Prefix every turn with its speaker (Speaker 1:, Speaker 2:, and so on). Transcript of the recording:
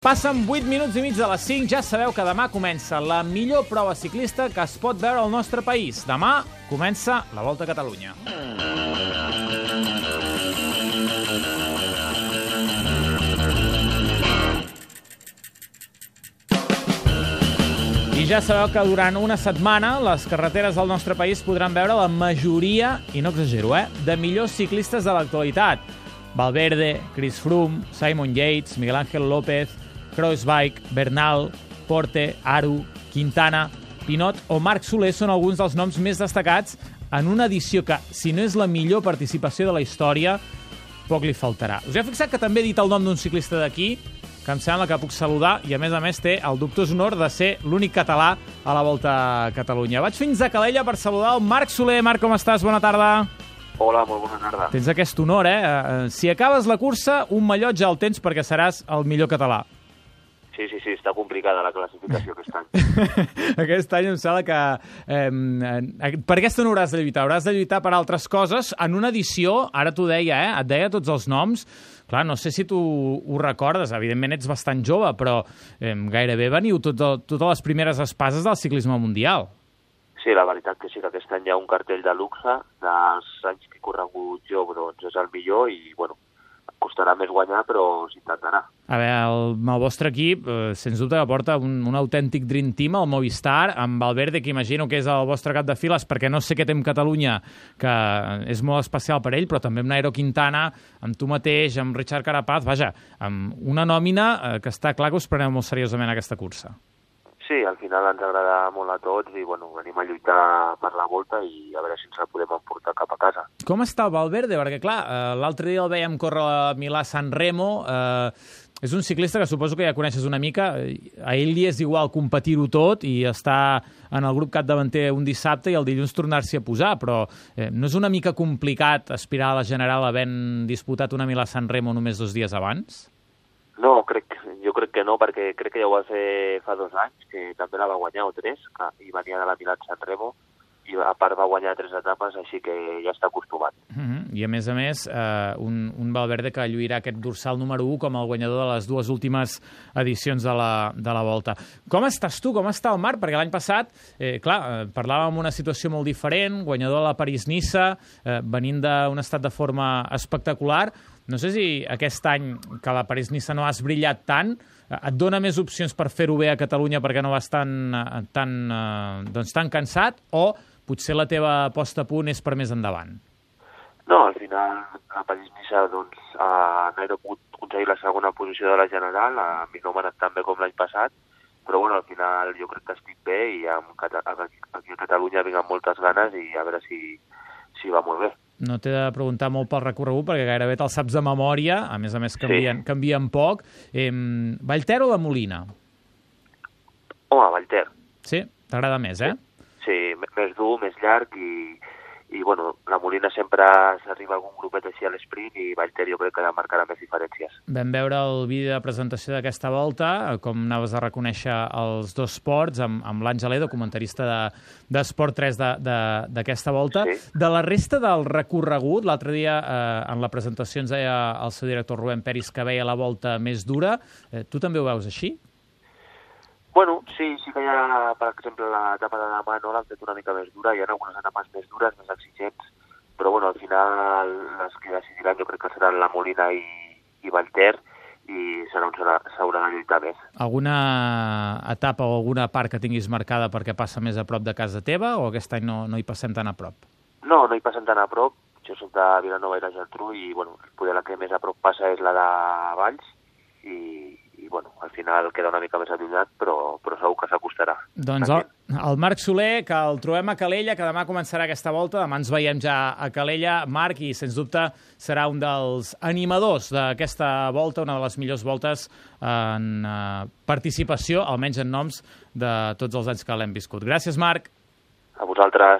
Speaker 1: Passen 8 minuts i mig de les 5, ja sabeu que demà comença la millor prova ciclista que es pot veure al nostre país. Demà comença la Volta a Catalunya. I ja sabeu que durant una setmana les carreteres del nostre país podran veure la majoria, i no exagero, de millors ciclistes de l'actualitat. Valverde, Chris Froome, Simon Yates, Miguel Ángel López, Kruijswijk, Bernal, Porte, Aru, Quintana, Pinot o Marc Soler són alguns dels noms més destacats en una edició que, si no és la millor participació de la història, poc li faltarà. Us heu fixat que també he dit el nom d'un ciclista d'aquí, que em sembla que puc saludar, i a més té el dubtós honor de ser l'únic català a la Volta a Catalunya. Vaig fins a Calella per saludar el Marc Soler. Marc, com estàs? Bona tarda.
Speaker 2: Hola, molt bona tarda.
Speaker 1: Tens aquest honor, Si acabes la cursa, un mallot ja el tens perquè seràs el millor català.
Speaker 2: Sí, està complicada la classificació aquest any.
Speaker 1: Aquest any em sembla que per aquesta no hauràs de lluitar. Hauràs de lluitar per altres coses. En una edició, ara t'ho deia, et deia tots els noms. Clar, no sé si tu ho recordes, evidentment ets bastant jove, però gairebé veniu totes les primeres espases del ciclisme mundial.
Speaker 2: Sí, la veritat que sí, que aquest any hi ha un cartell de luxe, dels anys que he corregut jo, doncs és el millor i, bueno, costarà més guanyar, però s'intentarà. A
Speaker 1: veure, el vostre equip, sens dubte, que porta un autèntic dream team, el Movistar, amb Valverde, que imagino que és el vostre cap de files, perquè no sé què té amb Catalunya, que és molt especial per ell, però també amb Nairo Quintana, amb tu mateix, amb Richard Carapaz, vaja, amb una nòmina que està clar que us preneu molt seriosament aquesta cursa.
Speaker 2: Sí, al final ens agrada molt a tots i bueno, venim a lluitar per la Volta i a veure si ens la podem emportar cap a casa.
Speaker 1: Com està el Valverde? Perquè, clar, l'altre dia el veiem córrer a Milà-San Remo. És un ciclista que suposo que ja coneixes una mica. A ell li és igual competir-ho tot i estar en el grup capdavanter un dissabte i el dilluns tornar-s'hi a posar, però no és una mica complicat aspirar a la General havent disputat una Milà-San Remo només 2 dies abans?
Speaker 2: No, jo crec que no, perquè crec que ja ho va fer fa 2 anys, que també la va guanyar, o 3, i venia de la Milà-San Remo, i a part va guanyar 3 etapes, així que ja està acostumat.
Speaker 1: I a més, un Valverde que lluirà aquest dorsal número 1 com el guanyador de les 2 últimes edicions de la Volta. Com estàs tu? Com està el Marc? Perquè l'any passat, parlàvem d'una situació molt diferent, guanyador de la París-Niça, venint d'un estat de forma espectacular. No sé si aquest any, que la París-Niça no has brillat tant, et dona més opcions per fer-ho bé a Catalunya perquè no vas tan cansat, o potser la teva posta a punt és per més endavant?
Speaker 2: No, al final la París-Niça Nairo ha pogut aconseguir la segona posició de la General, a mi no m'ha anat tan bé com l'any passat, però bueno, al final jo crec que estic bé i aquí a Catalunya vinc amb moltes ganes i a veure si va molt bé.
Speaker 1: No t'he de preguntar molt pel recorregut perquè gairebé te'l saps de memòria, a més canvien poc. Vallter o la Molina?
Speaker 2: Home, Vallter.
Speaker 1: Sí? T'agrada més,
Speaker 2: Sí, més dur, més llarg i bueno, la Molina sempre s'arriba a algun grupet així a l'esprint i Vallter jo crec que marcarà més diferències.
Speaker 1: Vam veure el vídeo de presentació d'aquesta volta, com anaves a reconèixer els 2 ports, amb l'Àngel Edo, comentarista d'Esport 3 d'aquesta volta. Sí. De la resta del recorregut, l'altre dia en la presentació ens deia el seu director Rubén Peris que veia la volta més dura. Tu també ho veus així?
Speaker 2: Bueno, sí que hi ha, per exemple, l'etapa de demà no l'han fet una mica més dura, hi ha algunes etapes més dures, més exigents, però bueno, al final les que decidiran jo crec que seran la Molina i Vallter i s'haurà de lluitar més.
Speaker 1: Alguna etapa o alguna part que tinguis marcada perquè passa més a prop de casa teva o aquest any no hi passem tan a prop?
Speaker 2: No hi passem tan a prop, jo soc de Vilanova i la Geltrú i bueno, poder la que més a prop passa és la de Valls i bueno, al final queda una mica més allunyat, però segur que s'acostarà.
Speaker 1: Doncs el Marc Soler, que el trobem a Calella, que demà començarà aquesta volta, demà ens veiem ja a Calella, Marc, i sens dubte serà un dels animadors d'aquesta volta, una de les millors voltes en participació, almenys en noms de tots els anys que l'hem viscut. Gràcies, Marc.
Speaker 2: A vosaltres.